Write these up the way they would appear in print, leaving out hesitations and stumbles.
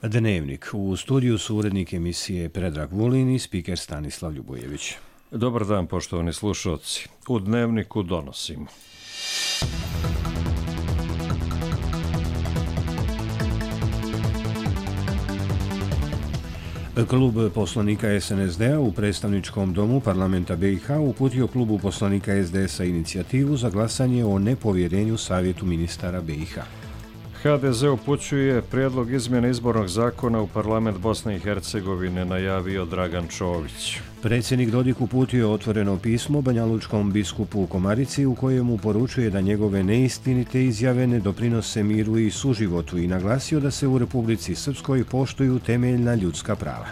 Dnevnik. U studiju su urednik emisije Predrag Vulin i spiker Stanislav Ljubojević. Dobar dan, poštovani slušalci. U Dnevniku donosimo. Klub poslanika SNSD-a u predstavničkom domu parlamenta BiH uputio klubu poslanika SDS-a inicijativu za glasanje o nepovjerenju Savjetu ministara BiH. HDZ upućuje prijedlog izmjene izbornog zakona u parlament Bosne i Hercegovine, najavio Dragan Čović. Predsjednik Dodik uputio otvoreno pismo banjalučkom biskupu u Komarici u kojemu poručuje da njegove neistinite izjave ne doprinose miru i suživotu i naglasio da se u Republici Srpskoj poštuju temeljna ljudska prava.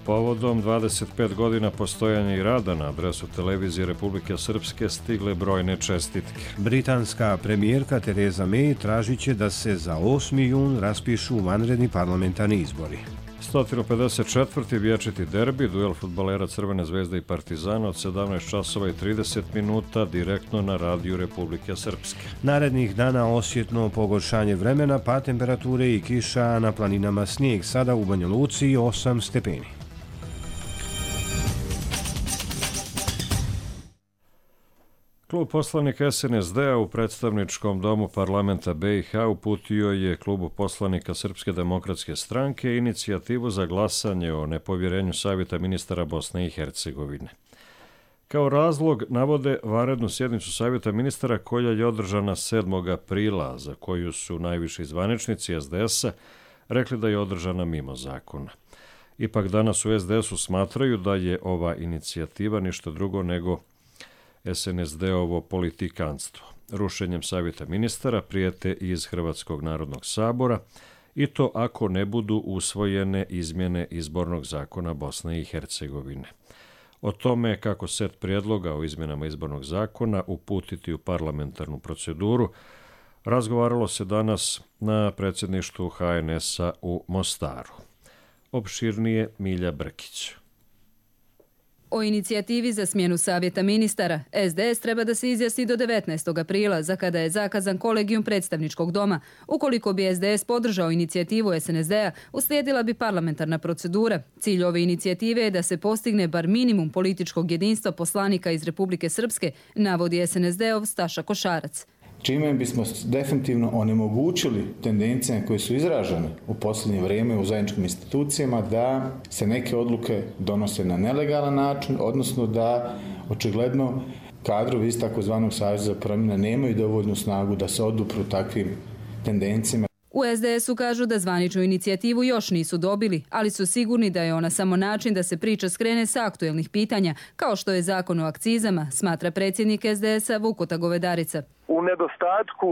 Povodom 25 godina postojanja i rada na adresu televizije Republike Srpske stigle brojne čestitke. Britanska premijerka Theresa May tražit će da se za 8. jun raspišu vanredni parlamentarni izbori. 154. vječiti derbi, duel fudbalera Crvene zvezde i Partizana od 17 časova i 30 minuta direktno na radiju Republike Srpske. Narednih dana osjetno pogoršanje vremena, pad temperature i kiša, a na planinama snijeg, sada u Banja Luci 8 stepeni. Klub poslanika SNSD-a u predstavničkom domu parlamenta BiH uputio je klubu poslanika Srpske demokratske stranke inicijativu za glasanje o nepovjerenju Savjeta ministara Bosne i Hercegovine. Kao razlog navode vanrednu sjednicu Savjeta ministara koja je održana 7. aprila, za koju su najviši zvaničnici SDS-a rekli da je održana mimo zakona. Ipak danas u SDS-u smatraju da je ova inicijativa ništa drugo nego SNSD-ovo politikanstvo. Rušenjem Savjeta ministara prijete iz Hrvatskog narodnog sabora i to ako ne budu usvojene izmjene izbornog zakona Bosne i Hercegovine. O tome kako set prijedloga o izmjenama izbornog zakona uputiti u parlamentarnu proceduru razgovaralo se danas na predsjedništvu HNS-a u Mostaru. Opširnije Milja Brkić. O inicijativi za smjenu Savjeta ministara SDS treba da se izjasni do 19. aprila, za kada je zakazan kolegijum predstavničkog doma. Ukoliko bi SDS podržao inicijativu SNSD-a, uslijedila bi parlamentarna procedura. Cilj ove inicijative je da se postigne bar minimum političkog jedinstva poslanika iz Republike Srpske, navodi SNSD-ov Staša Košarac. Čime bismo definitivno onemogućili tendencije koje su izražene u posljednje vrijeme u zajedničkim institucijama da se neke odluke donose na nelegalan način, odnosno da očigledno kadrovi iz takozvanog Saveza za promjene nemaju dovoljnu snagu da se odupru takvim tendencijama. U SDS-u kažu da zvaničnu inicijativu još nisu dobili, ali su sigurni da je ona samo način da se priča skrene sa aktuelnih pitanja, kao što je zakon o akcizama, smatra predsjednik SDS-a Vukota Govedarica. U nedostatku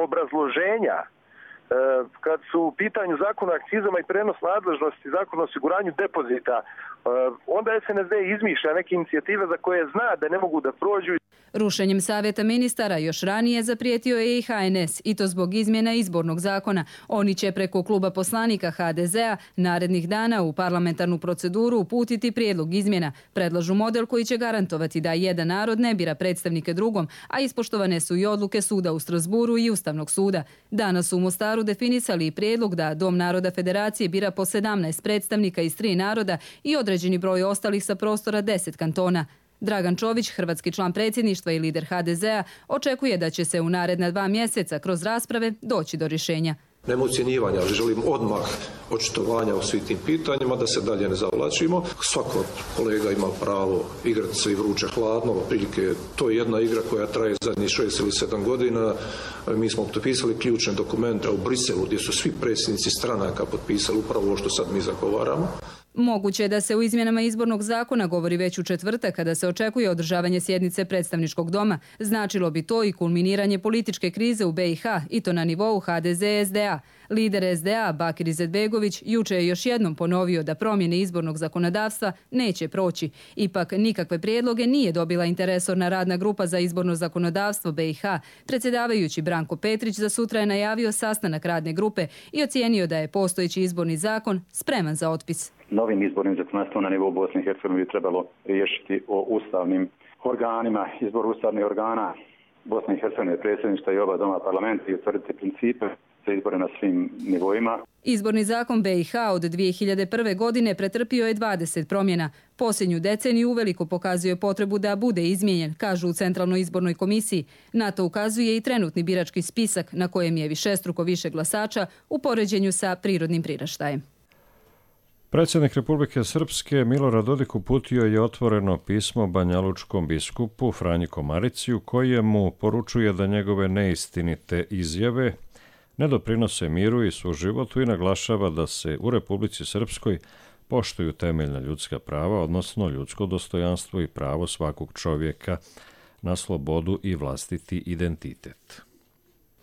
obrazloženja, kad su u pitanju zakon o akcizama i prenos nadležnosti, zakon o osiguranju depozita, onda SNSD izmišlja neke inicijative za koje zna da ne mogu da prođu. Rušenjem Savjeta ministara još ranije zaprijetio je i HNS, i to zbog izmjena izbornog zakona. Oni će preko kluba poslanika HDZ-a narednih dana u parlamentarnu proceduru uputiti prijedlog izmjena. Predlažu model koji će garantovati da jedan narod ne bira predstavnike drugom, a ispoštovane su i odluke suda u Strasburu i Ustavnog suda. Danas su u Mostaru definisali i prijedlog da Dom naroda Federacije bira po 17 predstavnika iz 3 naroda i određeni broj ostalih sa prostora 10 kantona. Dragan Čović, hrvatski član predsjedništva i lider HDZ-a, očekuje da će se u naredna 2 mjeseca kroz rasprave doći do rješenja. Nema ucjenjivanja, ali želim odmah očitovanja o svim tim pitanjima, da se dalje ne zavlačimo. Svako od kolega ima pravo igrati se i vruće hladno, prilike to je jedna igra koja traje zadnjih 6 ili 7 godina. Mi smo potpisali ključne dokumente u Briselu gdje su svi predsjednici stranaka potpisali upravo ovo što sad mi zagovaramo. Moguće je da se u izmjenama izbornog zakona govori već u četvrtak, kada se očekuje održavanje sjednice predstavničkog doma. Značilo bi to i kulminiranje političke krize u BiH, i to na nivou HDZ-SDA. Lider SDA Bakir Izetbegović juče je još jednom ponovio da promjene izbornog zakonodavstva neće proći. Ipak nikakve prijedloge nije dobila interresorna radna grupa za izborno zakonodavstvo BiH. Predsjedavajući Branko Petrić za sutra je najavio sastanak radne grupe i ocijenio da je postojeći izborni zakon spreman za otpis. Novim izbornim zakonodavstvom na nivou Bosne i Hercegovine bi trebalo riješiti o ustavnim organima, izbor ustavnih organa Bosne i Hercegovine, predsjedništva i oba doma parlamenta i utvrditi principe za izbore na svim nivoima. Izborni zakon BiH od 2001. godine pretrpio je 20 promjena. Posljednju deceniju uveliko pokazuje potrebu da bude izmijenjen, kažu u Centralnoj izbornoj komisiji. Na to ukazuje i trenutni birački spisak na kojem je višestruko više glasača u poređenju sa prirodnim priraštajem. Predsjednik Republike Srpske Milorad Dodik uputio je otvoreno pismo banjalučkom biskupu Franji Komarici u kojemu poručuje da njegove neistinite izjave ne doprinose miru i suživotu i naglašava da se u Republici Srpskoj poštuju temeljna ljudska prava, odnosno ljudsko dostojanstvo i pravo svakog čovjeka na slobodu i vlastiti identitet.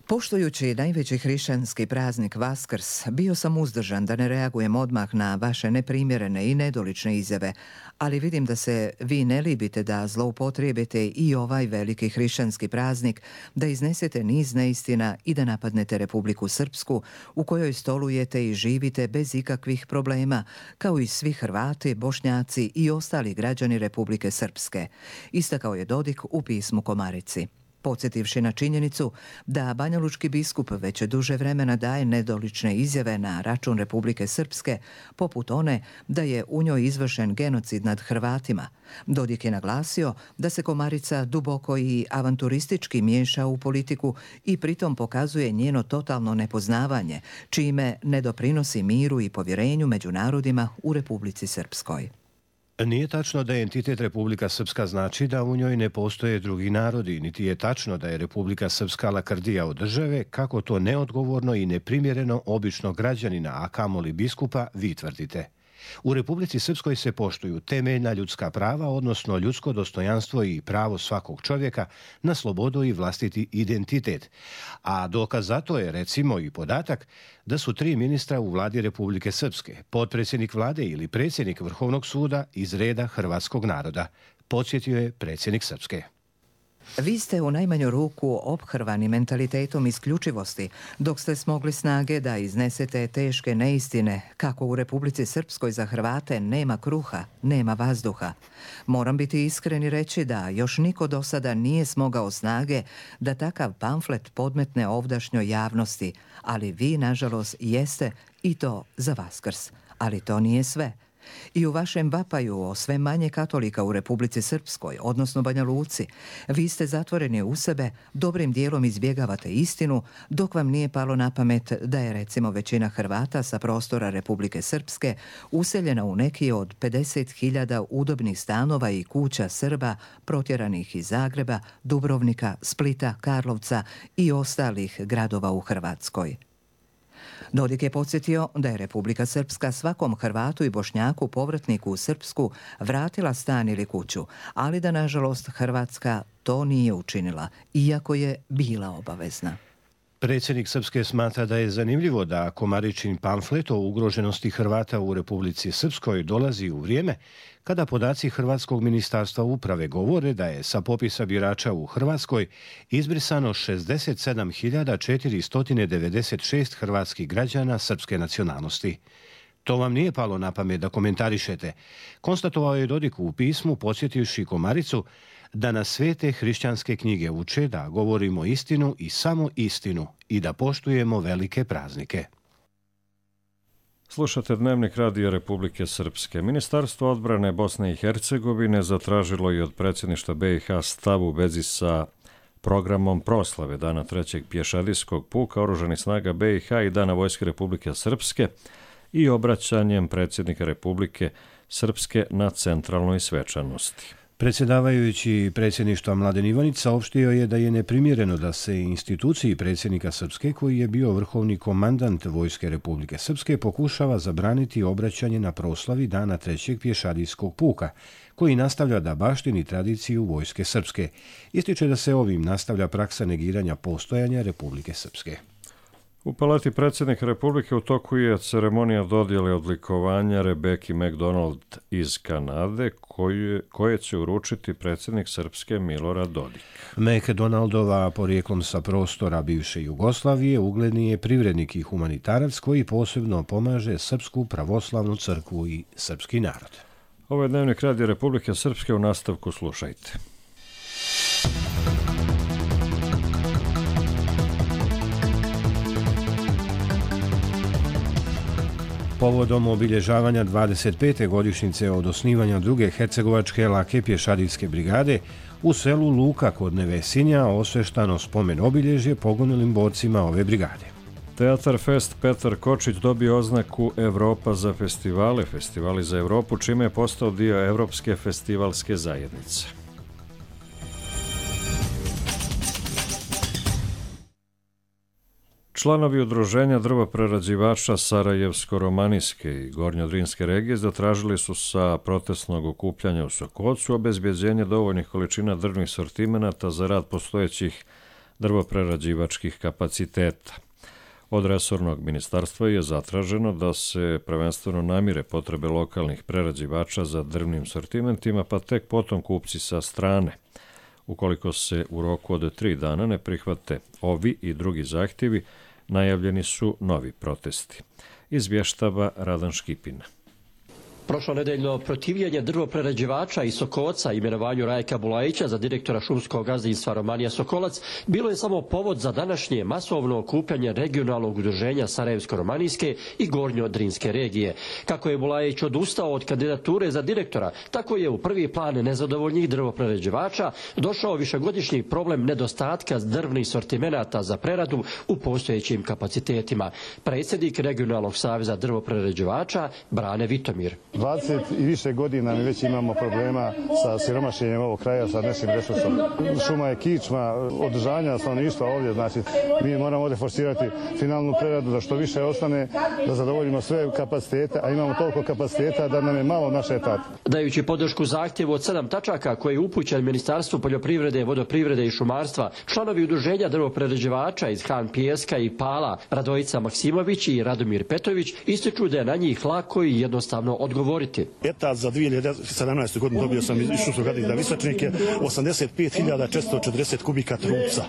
Poštujući najveći hrišćanski praznik Vaskrs, bio sam uzdržan da ne reagujem odmah na vaše neprimjerene i nedolične izjave, ali vidim da se vi ne libite da zloupotrijebite i ovaj veliki hrišćanski praznik, da iznesete niz neistina i da napadnete Republiku Srpsku, u kojoj stolujete i živite bez ikakvih problema, kao i svi Hrvati, Bošnjaci i ostali građani Republike Srpske, istakao je Dodik u pismu Komarici. Podsjetivši na činjenicu da banjalučki biskup već duže vremena daje nedolične izjave na račun Republike Srpske, poput one da je u njoj izvršen genocid nad Hrvatima, Dodik je naglasio da se Komarica duboko i avanturistički miješa u politiku i pritom pokazuje njeno totalno nepoznavanje, čime ne doprinosi miru i povjerenju među narodima u Republici Srpskoj. Nije tačno da entitet Republika Srpska znači da u njoj ne postoje drugi narodi, niti je tačno da je Republika Srpska lakrdija od države, kako to neodgovorno i neprimjereno običnog građanina, a kamoli biskupa, vi tvrdite. U Republici Srpskoj se poštuju temeljna ljudska prava, odnosno ljudsko dostojanstvo i pravo svakog čovjeka na slobodu i vlastiti identitet. A dokaz za to je recimo i podatak da su 3 ministra u vladi Republike Srpske, potpredsjednik vlade ili predsjednik Vrhovnog suda iz reda hrvatskog naroda, podsjetio je predsjednik Srpske. Vi ste u najmanju ruku ophrvani mentalitetom isključivosti, dok ste smogli snage da iznesete teške neistine kako u Republici Srpskoj za Hrvate nema kruha, nema vazduha. Moram biti iskren i reći da još niko do sada nije smogao snage da takav pamflet podmetne ovdašnjoj javnosti, ali vi, nažalost, jeste i to za Vaskrs. Ali to nije sve. I u vašem vapaju o sve manje katolika u Republici Srpskoj, odnosno Banja Luci, vi ste zatvoreni u sebe, dobrim dijelom izbjegavate istinu, dok vam nije palo na pamet da je recimo većina Hrvata sa prostora Republike Srpske useljena u neki od 50.000 udobnih stanova i kuća Srba protjeranih iz Zagreba, Dubrovnika, Splita, Karlovca i ostalih gradova u Hrvatskoj. Dodik je podsjetio da je Republika Srpska svakom Hrvatu i Bošnjaku povratniku u Srpsku vratila stan ili kuću, ali da nažalost Hrvatska to nije učinila, iako je bila obavezna. Predsjednik Srpske smatra da je zanimljivo da Komaričin pamflet o ugroženosti Hrvata u Republici Srpskoj dolazi u vrijeme kada podaci Hrvatskog ministarstva uprave govore da je sa popisa birača u Hrvatskoj izbrisano 67.496 hrvatskih građana srpske nacionalnosti. To vam nije palo na pamet da komentarišete, konstatovao je Dodik u pismu podsjetivši Komaricu da nas svete hrišćanske knjige uče da govorimo istinu i samo istinu i da poštujemo velike praznike. Slušate Dnevnik Radija Republike Srpske. Ministarstvo odbrane Bosne i Hercegovine zatražilo je od predsjedništva BiH stav u vezi sa programom proslave Dana 3. pješadijskog puka Oružanih snaga BiH i Dana Vojske Republike Srpske i obraćanjem predsjednika Republike Srpske na centralnoj svečanosti. Predsjedavajući predsjedništva Mladen Ivanić saopštio je da je neprimjereno da se instituciji predsjednika Srpske, koji je bio vrhovni komandant Vojske Republike Srpske, pokušava zabraniti obraćanje na proslavi Dana 3. pješadijskog puka, koji nastavlja da baštini tradiciju Vojske Srpske. Ističe da se ovim nastavlja praksa negiranja postojanja Republike Srpske. U Palati predsjednika Republike u toku je ceremonija dodjele odlikovanja Rebeki McDonald iz Kanade, koje će uručiti predsjednik Srpske Milorad Dodik. McDonaldova, porijeklom sa prostora bivše Jugoslavije, ugledni je privrednik i humanitarac koji posebno pomaže Srpsku pravoslavnu crkvu i srpski narod. Ovo je Dnevnik Radija Republike Srpske, u nastavku slušajte. Povodom obilježavanja 25. godišnjice od osnivanja druge hercegovačke lake pješadijske brigade, u selu Luka kod Nevesinja osveštano spomen obilježje poginulim borcima ove brigade. Teatar Fest Petar Kočić dobio oznaku Evropa za festivale, festivali za Evropu, čime je postao dio Evropske festivalske zajednice. Članovi udruženja drvoprerađivača Sarajevsko-romanijske i Gornjodrinske regije zatražili su sa protestnog okupljanja u Sokocu obezbeđenje dovoljnih količina drvnih sortimenata za rad postojećih drvoprerađivačkih kapaciteta. Od resornog ministarstva je zatraženo da se prvenstveno namire potrebe lokalnih prerađivača za drvnim sortimentima, pa tek potom kupci sa strane. Ukoliko se u roku od 3 dana ne prihvate ovi i drugi zahtjevi, najavljeni su novi protesti. Izvještava Radan Škipina. Prošlonedeljno protivljenje drvoprerađivača iz Sokoca imenovanju Rajka Bulajića za direktora šumskog gazdinstva Romanija Sokolac bilo je samo povod za današnje masovno okupljanje regionalnog udruženja Sarajevsko-romanijske i Gornjodrinske regije. Kako je Bulajić odustao od kandidature za direktora, tako je u prvi plan nezadovoljnih drvoprerađivača došao višegodišnji problem nedostatka drvnih sortimenata za preradu u postojećim kapacitetima. Predsjednik regionalnog saveza drvoprerađivača Brane Vitomir. 20 i više godina mi već imamo problema sa siromašenjem ovog kraja, sa našim resursom. Šuma je kičma održanja stanovništva ovdje, znači mi moramo ovdje forsirati finalnu preradu da što više ostane, da zadovoljimo sve kapacitete, a imamo toliko kapaciteta da nam je malo naše etate. Dajući podršku zahtjevu od 7 tačaka koje je upućen Ministarstvu poljoprivrede, vodoprivrede i šumarstva, članovi udruženja drvoprerađivača iz Han Pijeska i Pala, Radojica Maksimović i Radomir Petović, ističu da je na njih lako i jednostavno odgovoriti. Etat za 2017. godinu dobio sam iz šumskog gazdinstva Visačnike 85.440 kubika trupca.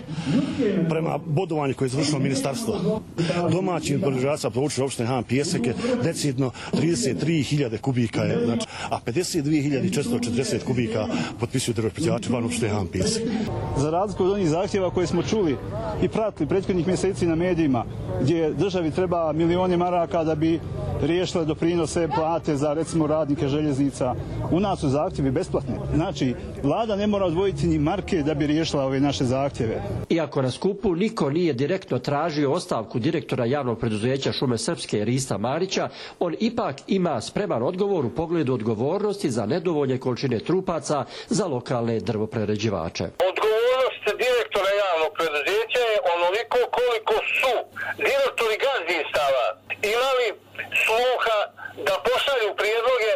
Prema bodovanju koje je izvršilo ministarstvo, domaćim proizvođača područja opštine Han Pijeseke decidno 33.000 kubika je, znači, a 52.440 kubika potpisuju drvoprerađivači van opštine Han Pijesek. Za razliku od onih zahtjeva koje smo čuli i pratili prethodnih mjeseci na medijima, gdje državi treba milione maraka da bi riješila doprinose plate za recimo radnike željeznica. U nas su zahtjevi besplatni. Znači, vlada ne mora odvojiti ni marke da bi riješila ove naše zahtjeve. Iako na skupu niko nije direktno tražio ostavku direktora javnog preduzeća Šume Srpske Rista Marića, on ipak ima spreman odgovor u pogledu odgovornosti za nedovoljne količine trupaca za lokalne drvoprerađivače. Odgovornost direktora javnog preduzeća je onoliko koliko su direktori gazdinstava imali sluha da pošalju prijedloge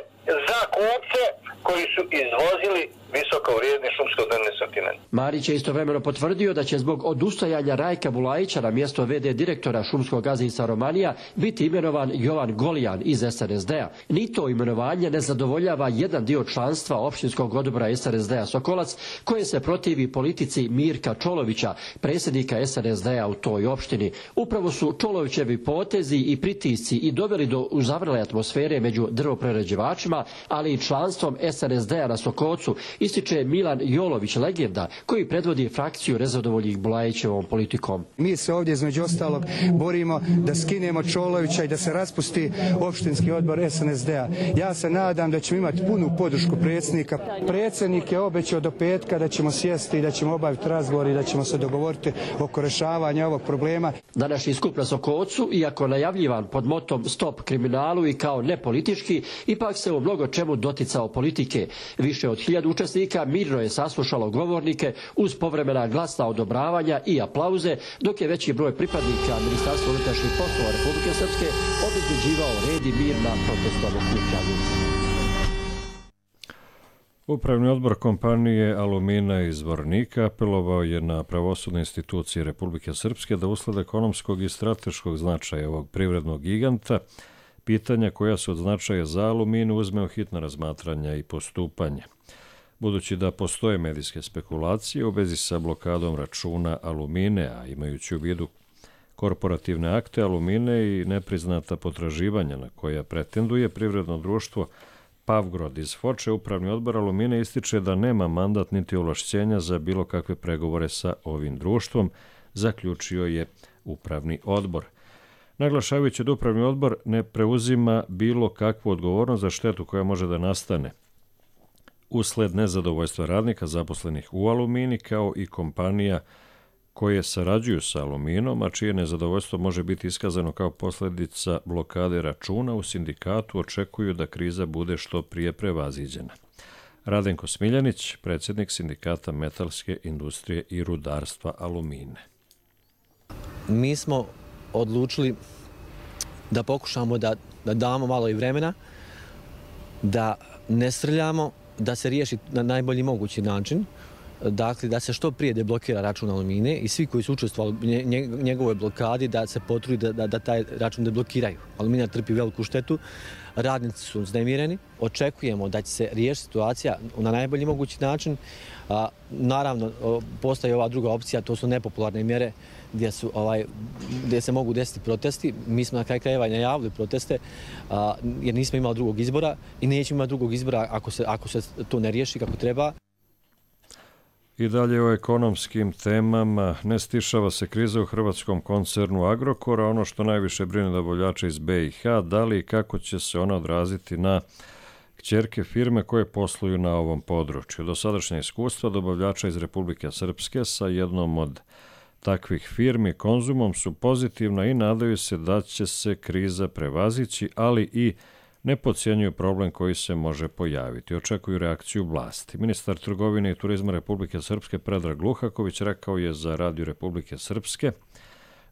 za kupce koji su izvozili visoko vrijedni šumsko-drvni sortiment. Marić je istovremeno potvrdio da će zbog odustajanja Rajka Bulajića na mjesto VD direktora šumskog gazdinstva Romanija biti imenovan Jovan Golijan iz SNSD-a. Ni to imenovanje ne zadovoljava jedan dio članstva opštinskog odbora SNSD-a Sokolac, koje se protivi politici Mirka Čolovića, predsjednika SNSD-a u toj opštini. Upravo su Čolovićevi potezi i pritisci i doveli do uzavrele atmosfere među drvoprerađivačima, ali i članstvom SNSD-a na Sokocu, ističe Milan Jolović, legenda, koji predvodi frakciju nezadovoljnih Bulajićevom politikom. Mi se ovdje između ostalog borimo da skinemo Čolovića i da se raspusti opštinski odbor SNSD-a. Ja se nadam da ćemo imati punu podršku predsjednika. Predsjednik je obećao do petka da ćemo sjesti i da ćemo obaviti razgovor i da ćemo se dogovoriti oko rješavanja ovog problema. Današnji skup na Sokocu, iako najavljivan pod motom Stop kriminalu i kao nepolitički, ipak se u mnogo čemu doticao politike. Više od 1000 učesnika mirno je saslušalo govornike uz povremena glasna odobravanja i aplauze, dok je veći broj pripadnika Ministarstva unutrašnjih poslova Republike Srpske obezbeđivao red i mir na protestnom okupljanju. Upravni odbor kompanije Alumina iz Zvornika apelovao je na pravosudne institucije Republike Srpske da usled ekonomskog i strateškog značaja ovog privrednog giganta pitanja koja su od značaja za Aluminu uzme u hitno razmatranja i postupanje. Budući da postoje medijske spekulacije u vezi sa blokadom računa Alumine, a imajući u vidu korporativne akte Alumine i nepriznata potraživanja na koja pretenduje privredno društvo Pavgrod iz Foče, upravni odbor Alumine ističe da nema mandat niti ovlašćenja za bilo kakve pregovore sa ovim društvom, zaključio je upravni odbor. naglašavajući da upravni odbor ne preuzima bilo kakvu odgovornost za štetu koja može da nastane usled nezadovoljstva radnika zaposlenih u Alumini, kao i kompanija koje sarađuju sa Aluminom, a čije nezadovoljstvo može biti iskazano kao posljedica blokade računa, u sindikatu očekuju da kriza bude što prije prevaziđena. Radenko Smiljanić, predsjednik sindikata metalske industrije i rudarstva Alumine. Mi smo odlučili da pokušamo da damo malo i vremena, da ne srljamo, da se riješi na najbolji mogući način, dakle da se što prije deblokira račun Alumine i svi koji su učestvovali u njegovoj blokadi da se potrudi da taj račun deblokiraju. Alumina trpi veliku štetu, radnici su uznemireni, očekujemo da će se riješiti situacija na najbolji mogući način. Naravno, postoji ova druga opcija, to su nepopularne mjere gdje se mogu desiti protesti. Mi smo na kraju krajeva najavili proteste jer nismo imali drugog izbora i nećemo imati drugog izbora ako se to ne riješi kako treba. I dalje o ekonomskim temama. Ne stišava se kriza u hrvatskom koncernu Agrokora. Ono što najviše brine dobavljače iz BiH, da li i kako će se ona odraziti na kćerke firme koje posluju na ovom području. Dosadašnja iskustva dobavljača iz Republike Srpske sa jednom od takvih firmi, Konzumom, su pozitivna i nadaju se da će se kriza prevazići, ali i ne podcjenjuju problem koji se može pojaviti. Očekuju reakciju vlasti. Ministar trgovine i turizma Republike Srpske Predrag Luhaković rekao je za Radio Republike Srpske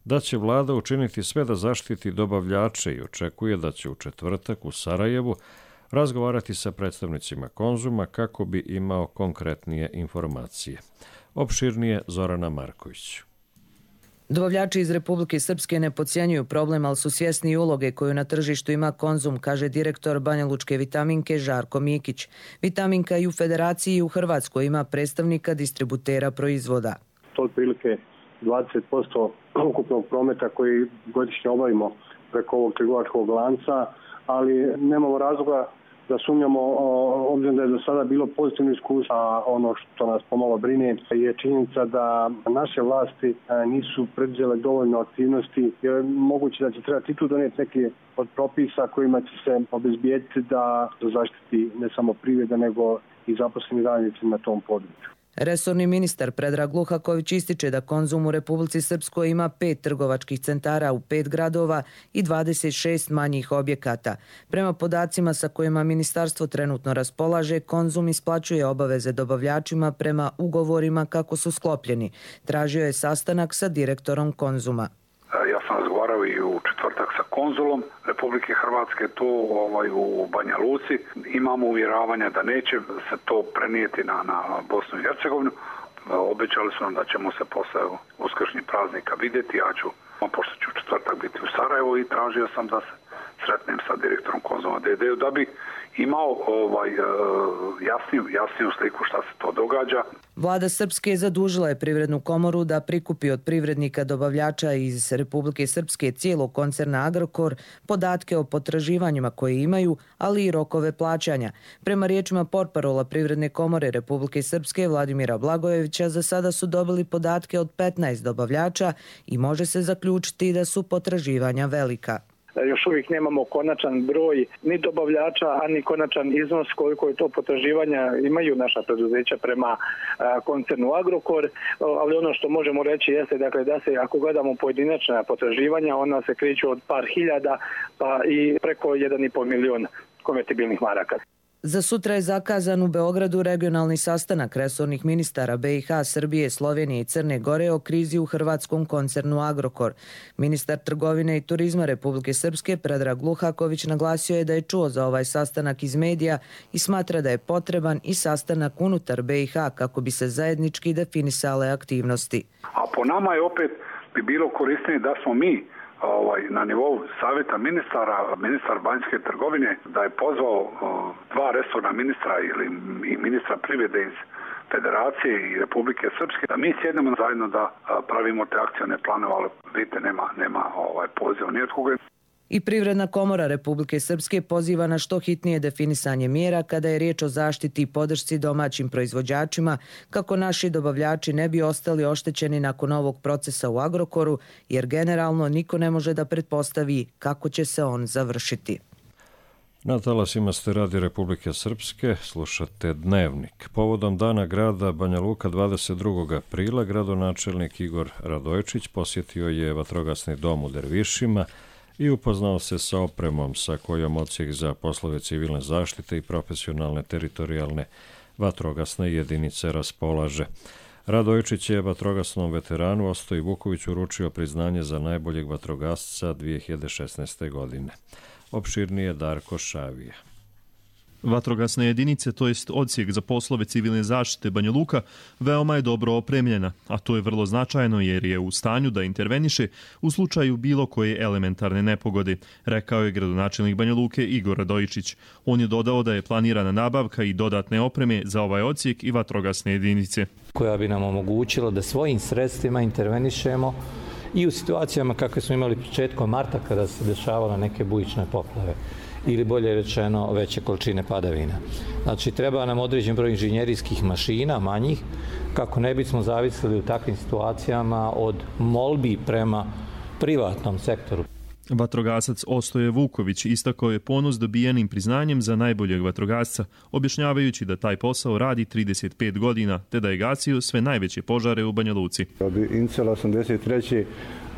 da će vlada učiniti sve da zaštiti dobavljače i očekuje da će u četvrtak u Sarajevu razgovarati sa predstavnicima Konzuma kako bi imao konkretnije informacije. Opširnije Zorana Marković. Dobavljači iz Republike Srpske ne podcjenjuju problem, ali su svjesni uloge koju na tržištu ima Konzum, kaže direktor Banjalučke vitaminke Žarko Mikić. Vitaminka i u Federaciji i u Hrvatskoj ima predstavnika distributera proizvoda. To je otprilike 20% ukupnog prometa koji godišnje obavimo preko ovog trgovačkog lanca, ali nemamo razloga da sumnjamo, obzirom da je do sada bilo pozitivno iskustvo, a ono što nas pomalo brine je činjenica da naše vlasti nisu preduzele dovoljno aktivnosti, jer moguće da će trebati i tu donijeti neke od propisa kojima će se obezbijediti da zaštiti ne samo privreda, nego i zaposleni radnici na tom području. Resorni ministar Predrag Luhaković ističe da Konzum u Republici Srpskoj ima 5 trgovačkih centara u 5 gradova i 26 manjih objekata. Prema podacima sa kojima ministarstvo trenutno raspolaže, Konzum isplaćuje obaveze dobavljačima prema ugovorima kako su sklopljeni. Tražio je sastanak sa direktorom Konzuma. Ja sam razgovarao i u četvrtak sa konzulom Republike Hrvatske tu u Banja Luci. Imamo uvjeravanja da neće se to prenijeti na Bosnu i Hercegovinu. Obećali su nam da ćemo se posle uskršnjih praznika vidjeti. Ja ću, pošto ću u četvrtak biti u Sarajevu, i tražio sam da se sretnem sa direktorom Konzuma DD-u da bi imao jasniju sliku šta se to događa. Vlada Srpske zadužila je Privrednu komoru da prikupi od privrednika dobavljača iz Republike Srpske cijelog koncerna Agrokor podatke o potraživanjima koje imaju, ali i rokove plaćanja. Prema riječima portparola Privredne komore Republike Srpske Vladimira Blagojevića, za sada su dobili podatke od 15 dobavljača i može se zaključiti da su potraživanja velika. Još uvijek nemamo konačan broj ni dobavljača, a ni konačan iznos koliko je to potraživanja imaju naša preduzeća prema koncernu Agrokor, ali ono što možemo reći jeste dakle, da se, ako gledamo pojedinačna potraživanja, ona se kreću od par hiljada pa i preko 1,5 milion konvertibilnih maraka. Za sutra je zakazan u Beogradu regionalni sastanak resornih ministara BiH, Srbije, Slovenije i Crne Gore o krizi u hrvatskom koncernu Agrokor. Ministar trgovine i turizma Republike Srpske Predrag Luhaković naglasio je da je čuo za ovaj sastanak iz medija i smatra da je potreban i sastanak unutar BiH kako bi se zajednički definisale aktivnosti. A po nama je opet bi bilo korisnije da smo mi na nivou savjeta ministara, ministar vanjske trgovine, da je pozvao dva resorna ministra ili i ministra privrede iz Federacije i Republike Srpske, da mi sjednemo zajedno da pravimo te akcione planove, ali vidite, nema poziva ni od koga. I Privredna komora Republike Srpske poziva na što hitnije definisanje mjera kada je riječ o zaštiti i podršci domaćim proizvođačima, kako naši dobavljači ne bi ostali oštećeni nakon ovog procesa u Agrokoru, jer generalno niko ne može da pretpostavi kako će se on završiti. Na talasima ste Radi Republike Srpske, slušate Dnevnik. Povodom Dana grada Banja Luka 22. aprila gradonačelnik Igor Radojičić posjetio je vatrogasni dom u Dervišima i upoznao se sa opremom sa kojom odsjek za poslove civilne zaštite i profesionalne teritorijalne vatrogasne jedinice raspolaže. Radojičić je vatrogasnom veteranu Ostoji Vuković uručio priznanje za najboljeg vatrogasca 2016. godine. Opširnije Darko Šavija. Vatrogasne jedinice, to jest odsjek za poslove civilne zaštite Banja Luka, veoma je dobro opremljena, a to je vrlo značajno jer je u stanju da interveniše u slučaju bilo koje elementarne nepogode, rekao je gradonačelnik Banja Luke Igor Radojičić. On je dodao da je planirana nabavka i dodatne opreme za ovaj odsjek i vatrogasne jedinice, koja bi nam omogućila da svojim sredstvima intervenišemo i u situacijama kakve smo imali početkom marta kada se dešavala neke bujične poplave ili bolje rečeno veće količine padavina. Znači treba nam određen broj inženjerijskih mašina, manjih, kako ne bismo zavisili u takvim situacijama od molbi prema privatnom sektoru. Vatrogasac Ostoje Vuković istakao je ponos dobijenim priznanjem za najboljeg vatrogasca, objašnjavajući da taj posao radi 35 godina, te da je gasio sve najveće požare u Banja Luci. Od Incela 83.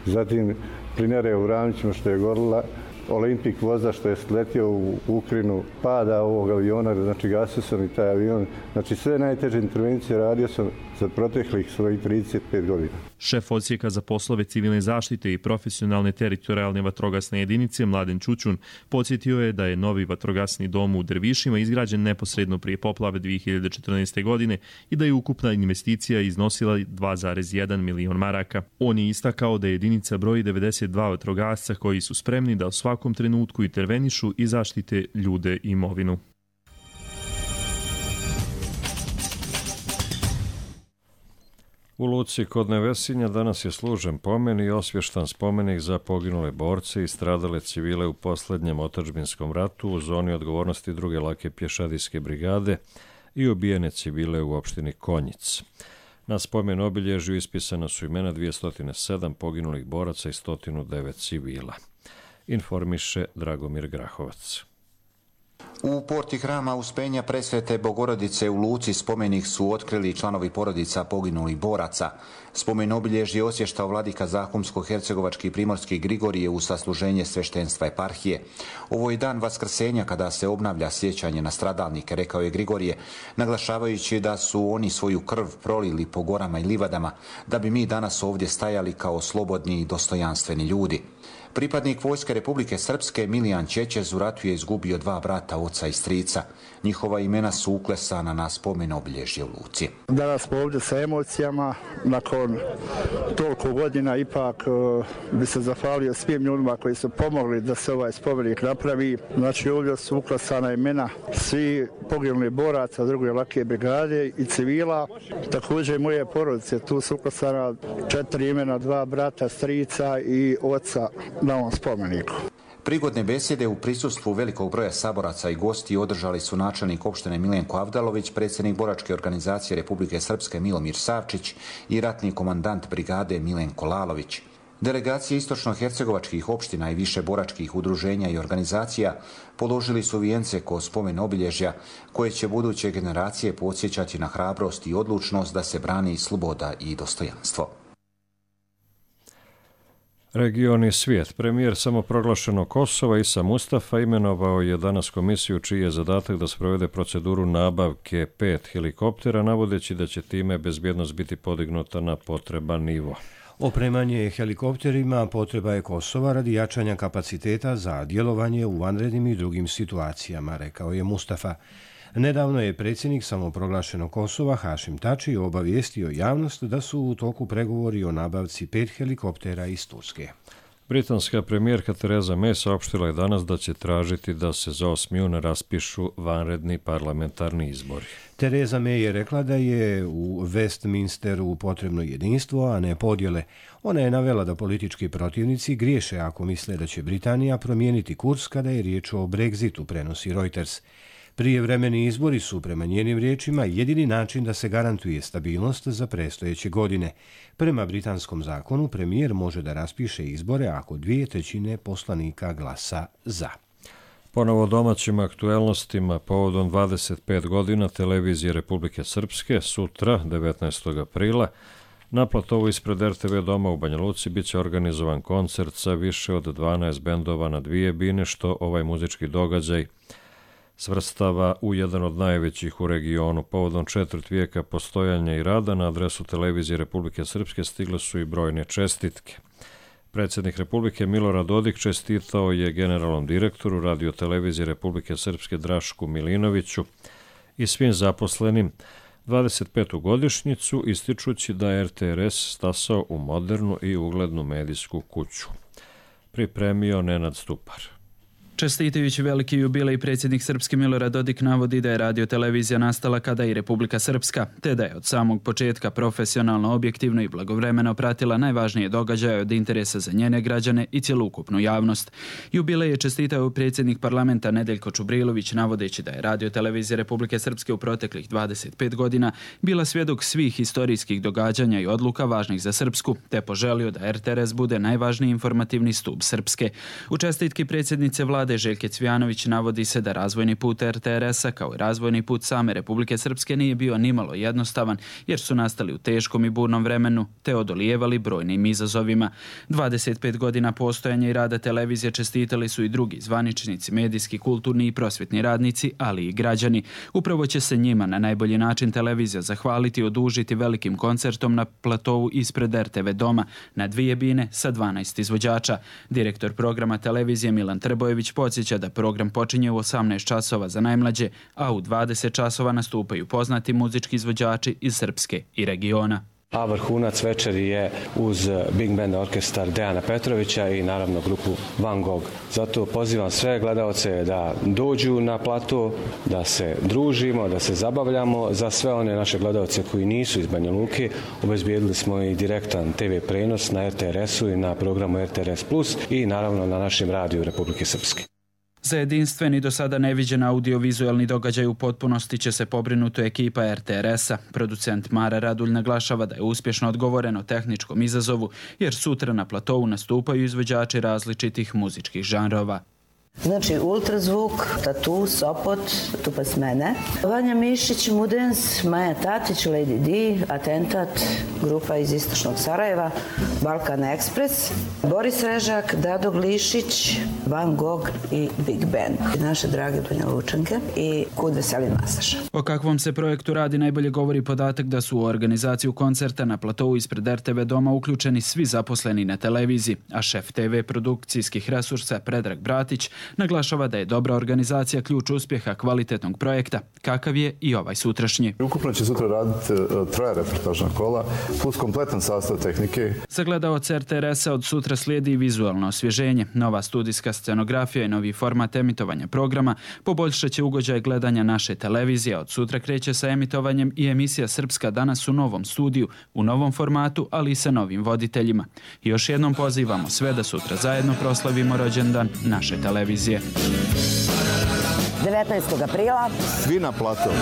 zatim Plinare u Ravnićima što je gorila, Olimpik voza što je sletio u Ukrajinu, pada ovog aviona, znači gasio sam i taj avion. Znači sve najteže intervencije radio sam za proteklih svojih 35 godina. Šef odsjeka za poslove civilne zaštite i profesionalne teritorijalne vatrogasne jedinice Mladen Ćućun podsjetio je da je novi vatrogasni dom u Dervišima izgrađen neposredno prije poplave 2014. godine i da je ukupna investicija iznosila 2,1 milion maraka. On je istakao da jedinica broji 92 vatrogasca koji su spremni da u svakom trenutku intervenišu i zaštite ljude i imovinu. U Luci kod Nevesinja danas je služen pomen i osvještan spomenik za poginule borce i stradale civile u posljednjem otadžbinskom ratu u zoni odgovornosti druge lake pješadijske brigade i ubijene civile u opštini Konjic. Na spomen obilježju ispisana su imena 207 poginulih boraca i 109 civila. Informiše Dragomir Grahovac. U porti hrama Uspenja Presvete Bogorodice u Luci spomenik su otkrili članovi porodica poginulih boraca. Spomen obilježje osvještao vladika Zahumsko-hercegovački primorski Grigorije u sasluženje sveštenstva eparhije. Ovo je dan vaskrsenja kada se obnavlja sjećanje na stradalnike, rekao je Grigorije, naglašavajući da su oni svoju krv prolili po gorama i livadama, da bi mi danas ovdje stajali kao slobodni i dostojanstveni ljudi. Pripadnik Vojske Republike Srpske Milijan Čečez u ratu je izgubio 2 brata, oca i strica. Njihova imena su uklesana na spomen obilježje u Luci. Danas smo ovdje sa emocijama. Nakon toliko godina ipak bi se zahvalio svim ljudima koji su pomogli da se ovaj spomenik napravi. Znači ovdje su uklesana imena svi poginulih boraca druge lake brigade i civila. Također moje porodice, tu su uklesana 4 imena, 2 brata, strica i oca na ovom spomeniku. Prigodne besjede u prisustvu velikog broja saboraca i gosti održali su načelnik opštine Milenko Avdalović, predsjednik boračke organizacije Republike Srpske Milomir Savčić i ratni komandant brigade Milenko Lalović. Delegacije istočno-hercegovačkih opština i više boračkih udruženja i organizacija položili su vijence ko spomen obilježja koje će buduće generacije podsjećati na hrabrost i odlučnost da se brani sloboda i dostojanstvo. Region i svijet. Premijer samoproglašenog Kosova Isa Mustafa imenovao je danas komisiju čiji je zadatak da sprovede proceduru nabavke 5 helikoptera, navodeći da će time bezbjednost biti podignuta na potreban nivo. Opremanje helikopterima potreba je Kosova radi jačanja kapaciteta za djelovanje u vanrednim i drugim situacijama, rekao je Mustafa. Nedavno je predsjednik samoproglašenog Kosova Hašim Tači obavijestio javnost da su u toku pregovori o nabavci 5 helikoptera iz Turske. Britanska premijerka Theresa May saopštila je danas da će tražiti da se za 8. juna raspišu vanredni parlamentarni izbori. Theresa May je rekla da je u Westminsteru potrebno jedinstvo, a ne podjele. Ona je navela da politički protivnici griješe ako misle da će Britanija promijeniti kurs kada je riječ o Brexitu, prenosi Reuters. Prijevremeni izbori su, prema njenim riječima, jedini način da se garantuje stabilnost za predstojeće godine. Prema britanskom zakonu, premijer može da raspiše izbore ako 2/3 poslanika glasa za. Ponovo domaćim aktuelnostima povodom 25 godina televizije Republike Srpske sutra, 19. aprila, na platovu ispred RTV doma u Banja Luci biće organizovan koncert sa više od 12 bendova na 2 bine, što ovaj muzički događaj svrstava u jedan od najvećih u regionu. Povodom 4 vijeka postojanja i rada na adresu televizije Republike Srpske stigle su i brojne čestitke. Predsjednik Republike Milorad Dodik čestitao je generalnom direktoru radiotelevizije Republike Srpske Drašku Milinoviću i svim zaposlenim 25. godišnjicu, ističući da je RTRS stasao u modernu i uglednu medijsku kuću. Pripremio Nenad Stupar. Čestitajući veliki jubilej, predsjednik Srpske Milorad Dodik navodi da je radiotelevizija nastala kada i Republika Srpska, te da je od samog početka profesionalno, objektivno i blagovremeno pratila najvažnije događaje od interesa za njene građane i cjelokupnu javnost. Jubilej je čestitao predsjednik parlamenta Nedeljko Čubrilović, navodeći da je radiotelevizija Republike Srpske u proteklih 25 godina bila svjedok svih historijskih događanja i odluka važnih za Srpsku, te poželio da RTRS bude najvažniji informativni stup Srpske. U čestitki predsjednice vlade Željke Cvijanović navodi se da razvojni put RTRS-a kao i razvojni put same Republike Srpske nije bio nimalo jednostavan, jer su nastali u teškom i burnom vremenu te odolijevali brojnim izazovima. 25 godina postojanja i rada televizije čestitali su i drugi zvaničnici, medijski, kulturni i prosvjetni radnici, ali i građani. Upravo će se njima na najbolji način televizija zahvaliti i odužiti velikim koncertom na platovu ispred RTV doma na 2 bine sa 12 izvođača. Direktor programa televizije Milan Trbojević podsjeća da program počinje u 18 časova za najmlađe, a u 20 časova nastupaju poznati muzički izvođači iz Srpske i regiona. A vrhunac večeri je uz Big Band orkestar Dejana Petrovića i naravno grupu Van Gogh. Zato pozivam sve gledaoce da dođu na plato, da se družimo, da se zabavljamo. Za sve one naše gledaoce koji nisu iz Banja Luke, obezbijedili smo i direktan TV prenos na RTRS-u i na programu RTRS Plus i naravno na našem radiju Republike Srpske. Za jedinstveni do sada neviđen audiovizualni događaj u potpunosti će se pobrinuti ekipa RTRS-a. Producent Mara Radulj naglašava da je uspješno odgovoreno tehničkom izazovu, jer sutra na platovu nastupaju izvođači različitih muzičkih žanrova. Znači ultrazvuk, Tatu, Sopot, Tupas mene, Vanja Mišić, Mudens, Maja Tatić, Lady D, Atentat, grupa iz Istočnog Sarajeva, Balkan Express, Boris Režak, Dado Glišić, Van Gogh i Big Band. Naše drage Banja Lučanke i Kud Veselin Masaša. O kakvom se projektu radi najbolje govori podatak da su u organizaciju koncerta na platovu ispred RTV doma uključeni svi zaposleni na televiziji, a šef TV produkcijskih resursa Predrag Bratić naglašava da je dobra organizacija ključ uspjeha kvalitetnog projekta, kakav je i ovaj sutrašnji. Ukupno će sutra raditi 3 reportažna kola, plus kompletan sastav tehnike. Za gledaoce RTRS-a od sutra slijedi i vizualno osvježenje, nova studijska scenografija i novi format emitovanja programa poboljšat će ugođaj gledanja naše televizije. Od sutra kreće sa emitovanjem i emisija Srpska danas u novom studiju, u novom formatu, ali i sa novim voditeljima. I još jednom pozivamo sve da sutra zajedno proslavimo rođendan naše televizije. 19. aprila. Svi na platovu.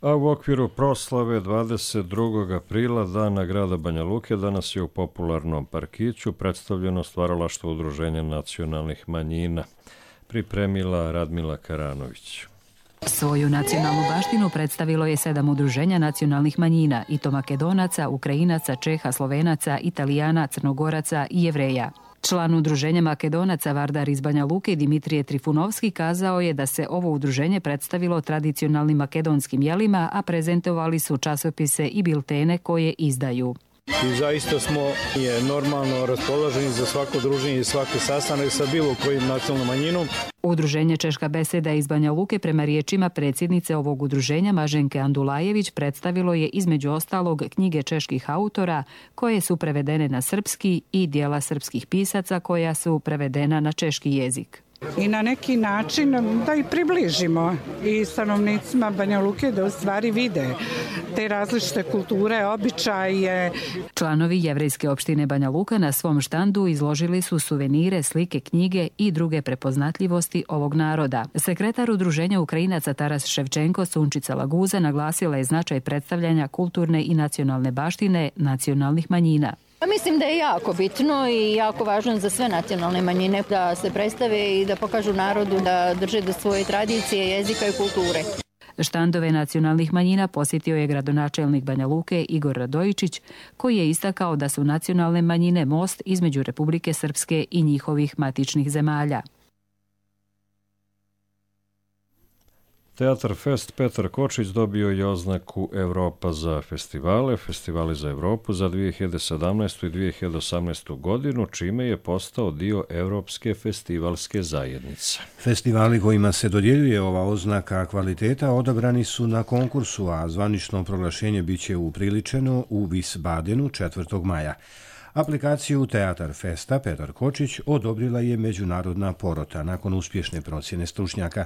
A u okviru proslave 22. aprila, Dana grada Banja Luke, danas je u popularnom parkiću predstavljeno stvaralaštvo Udruženja nacionalnih manjina. Pripremila Radmila Karanović. Svoju nacionalnu baštinu predstavilo je 7 udruženja nacionalnih manjina, i to Makedonaca, Ukrajinaca, Čeha, Slovenaca, Italijana, Crnogoraca i Jevreja. Član udruženja Makedonaca Vardar iz Banja Luke Dimitrije Trifunovski kazao je da se ovo udruženje predstavilo tradicionalnim makedonskim jelima, a prezentovali su časopise i biltene koje izdaju. I zaista smo normalno raspoloženi za svako druženje i svaki sastanak sa bilo kojim nacionalnom manjinom. Udruženje Češka beseda iz Banja Luke prema riječima predsjednice ovog udruženja Maženke Andulajević predstavilo je između ostalog knjige čeških autora koje su prevedene na srpski i dijela srpskih pisaca koja su prevedena na češki jezik. I na neki način da i približimo i stanovnicima Banja Luke da u stvari vide te različite kulture, običaje. Članovi jevrejske opštine Banja Luka na svom štandu izložili su suvenire, slike, knjige i druge prepoznatljivosti ovog naroda. Sekretar udruženja Ukrajinaca Taras Ševčenko Sunčica Laguza naglasila je značaj predstavljanja kulturne i nacionalne baštine nacionalnih manjina. Mislim da je jako bitno i jako važno za sve nacionalne manjine da se predstave i da pokažu narodu da drže do svoje tradicije, jezika i kulture. Štandove nacionalnih manjina posjetio je gradonačelnik Banja Luke Igor Radojičić, koji je istakao da su nacionalne manjine most između Republike Srpske i njihovih matičnih zemalja. Teatar Fest Petar Kočić dobio je oznaku Evropa za festivali za Evropu za 2017. i 2018. godinu, čime je postao dio Evropske festivalske zajednice. Festivali kojima se dodjeljuje ova oznaka kvaliteta odabrani su na konkursu, a zvanično proglašenje biće upriličeno u Wiesbadenu 4. maja. Aplikaciju Teatar Festa Petar Kočić odobrila je međunarodna porota nakon uspješne procjene stručnjaka.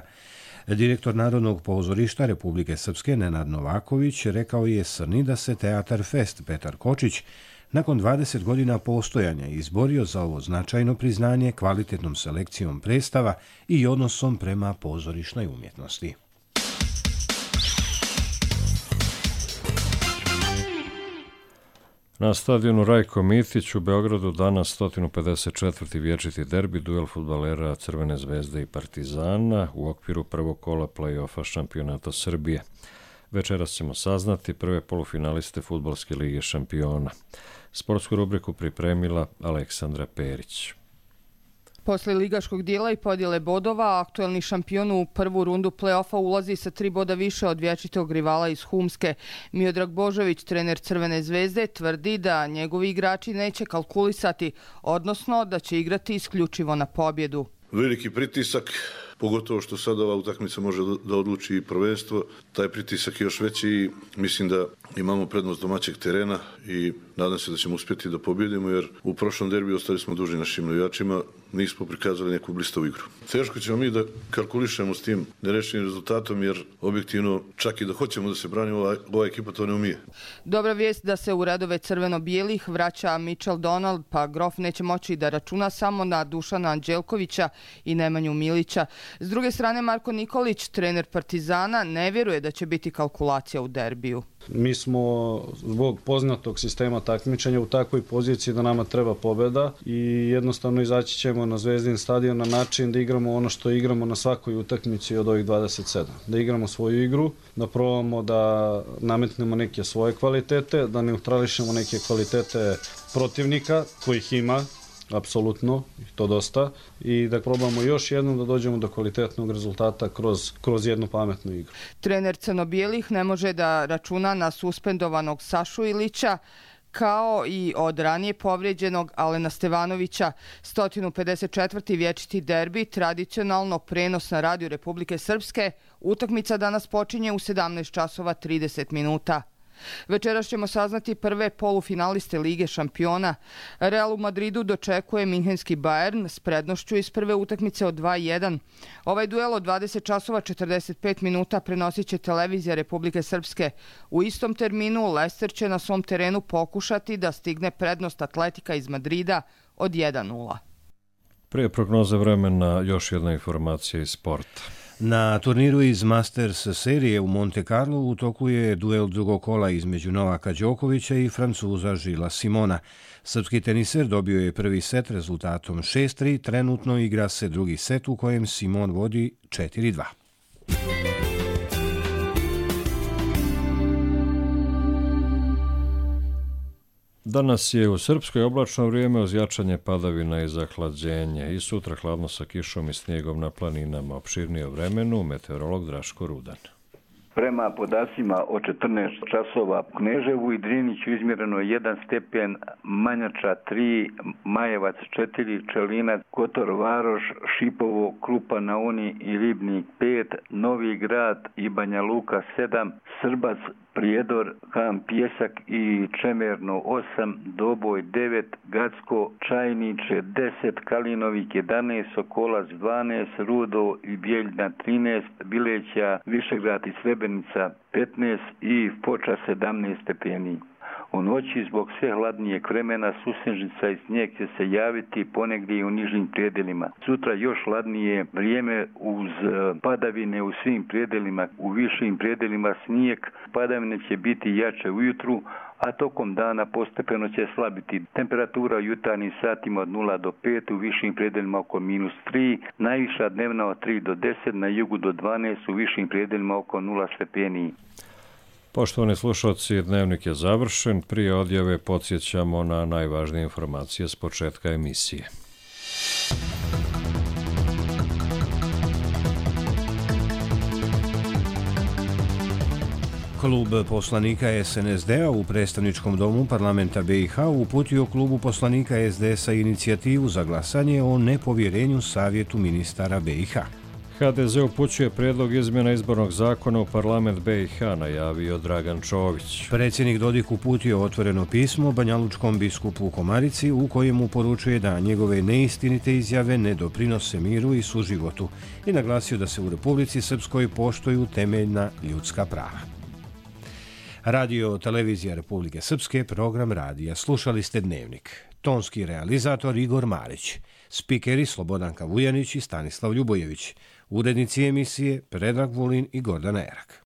Direktor Narodnog pozorišta Republike Srpske Nenad Novaković rekao je Srni da se Teatar Fest Petar Kočić nakon 20 godina postojanja izborio za ovo značajno priznanje kvalitetnom selekcijom predstava i odnosom prema pozorišnoj umjetnosti. Na stadionu Rajko Mitić u Beogradu danas 154. vječiti derbi, duel fudbalera Crvene zvezde i Partizana u okviru prvog kola play-offa šampionata Srbije. Večeras ćemo saznati prve polufinaliste Fudbalske lige šampiona. Sportsku rubriku pripremila Aleksandra Perić. Posle ligaškog dijela i podjele bodova, aktuelni šampion u prvu rundu play-offa ulazi sa 3 boda više od vječitog rivala iz Humske. Miodrag Božović, trener Crvene zvezde, tvrdi da njegovi igrači neće kalkulisati, odnosno da će igrati isključivo na pobjedu. Veliki pritisak, pogotovo što sad ova utakmica može da odluči i prvenstvo. Taj pritisak je još veći i mislim da imamo prednost domaćeg terena i nadam se da ćemo uspjeti da pobjedimo, jer u prošlom derbiju ostali smo dužni našim navijačima, nismo prikazali neku blistavu igru. Teško ćemo mi da kalkulišemo s tim nerešenim rezultatom, jer objektivno čak i da hoćemo da se branimo, ova ekipa to ne umije. Dobra vijest da se u redove crveno-bijelih vraća Mitchell Donald, pa Grof neće moći da računa samo na Dušana Anđelkovića i Nemanju Milića. S druge strane, Marko Nikolić, trener Partizana, ne vjeruje da će biti kalkulacija u derbiju. Mi smo zbog poznatog sistema takmičenja u takvoj poziciji da nama treba pobjeda i jednostavno izaći ćemo na Zvezdin stadion na način da igramo ono što igramo na svakoj utakmici od ovih 27. Da igramo svoju igru, da probamo da nametnemo neke svoje kvalitete, da neutrališemo neke kvalitete protivnika kojih ima, apsolutno, to dosta, i da probamo još jednom da dođemo do kvalitetnog rezultata kroz jednu pametnu igru. Trener crno-bijelih ne može da računa na suspendovanog Sašu Ilića, kao i od ranije povrijeđenog Alena Stevanovića. 154. vječiti derbi, tradicionalno prenos na radiju Republike Srpske. Utakmica danas počinje u 17:30 minuta. Večeras ćemo saznati prve polufinaliste Lige šampiona. Real u Madridu dočekuje minhenski Bayern s prednošću iz prve utakmice od 2:1. Ovaj duel od 20:45 minuta prenosit će televizija Republike Srpske. U istom terminu Leicester će na svom terenu pokušati da stigne prednost Atletika iz Madrida od 1:0. Prije prognoze vremena još jedna informacija iz sporta. Na turniru iz Masters serije u Monte Carlo u toku je duel drugog kola između Novaka Đokovića i Francuza Žila Simona. Srpski teniser dobio je prvi set rezultatom 6:3, trenutno igra se drugi set u kojem Simon vodi 4:2. Danas je u Srpskoj oblačno vrijeme uz jačanje padavina i zahlađenje. I sutra hladno sa kišom i snijegom na planinama. Opširnije o vremenu, meteorolog Draško Rudan. Prema podacima o 14 časova u Kneževu i Driniću izmjereno je 1 stepen, Manjača 3, Majevac 4, Čelinac, Kotor Varoš, Šipovo, Krupa na Uni i Ribnik 5, Novi Grad i Banja Luka 7, Srbac, Prijedor, Ham Pjesak i Čemerno 8, Doboj 9, Gacko, Čajniče 10, Kalinovik 11, Sokolac 12, Rudo i Bjeljna 13, Bileća, Višegrad i Srebrenica 15 i Foča 17 stepeni. U noći zbog sve hladnijeg vremena susnežica i snijeg će se javiti ponegdje i u nižim prijedelima. Sutra još hladnije vrijeme uz padavine u svim prijedelima, u višim prijedelima snijeg. Padavine će biti jače ujutru, a tokom dana postepeno će slabiti. Temperatura u jutarnjim satima od 0 do 5, u višim prijedelima oko -3, najviša dnevna od 3 do 10, na jugu do 12, u višim prijedelima oko 0 stepeni. Poštovani slušalci, dnevnik je završen. Prije odjave podsjećamo na najvažnije informacije s početka emisije. Klub poslanika SNSD-a u predstavničkom domu parlamenta BiH uputio klubu poslanika SDS-a inicijativu za glasanje o nepovjerenju Savjetu ministara BiH. HDZ upućuje prijedlog izmjena izbornog zakona u parlament BiH, najavio Dragan Čović. Predsjednik Dodik uputio otvoreno pismo banjalučkom biskupu u Komarici u kojemu poručuje da njegove neistinite izjave ne doprinose miru i suživotu i naglasio da se u Republici Srpskoj poštuju temeljna ljudska prava. Radio Televizija Republike Srpske, program radija. Slušali ste Dnevnik. Tonski realizator Igor Marić. Spikeri Slobodanka Vujanić i Stanislav Ljubojević. Urednici emisije Predrag Vulin i Gordana Erak.